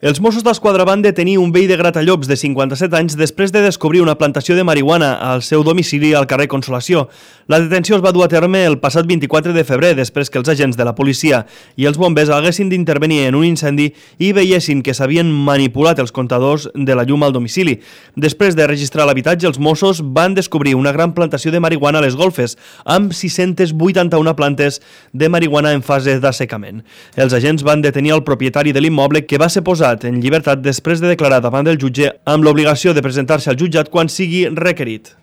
Els Mossos d'Esquadra van detenir un veí de Gratallops de 57 anys després de descobrir una plantació de marihuana al seu domicili al carrer Consolació. La detenció es va dur a terme el passat 24 de febrer, després que els agents de la policia i els bombers haguessin d'intervenir en un incendi i veiessin que s'havien manipulat els comptadors de la llum al domicili. Després de registrar l'habitatge, els Mossos van descobrir una gran plantació de marihuana a les golfes, amb 681 plantes de marihuana en fase d'assecament. Els agents van detenir el propietari de l'immoble, que va ser posat en llibertat després de declarar davant del jutge amb l'obligació de presentar-se al jutjat quan sigui requerit.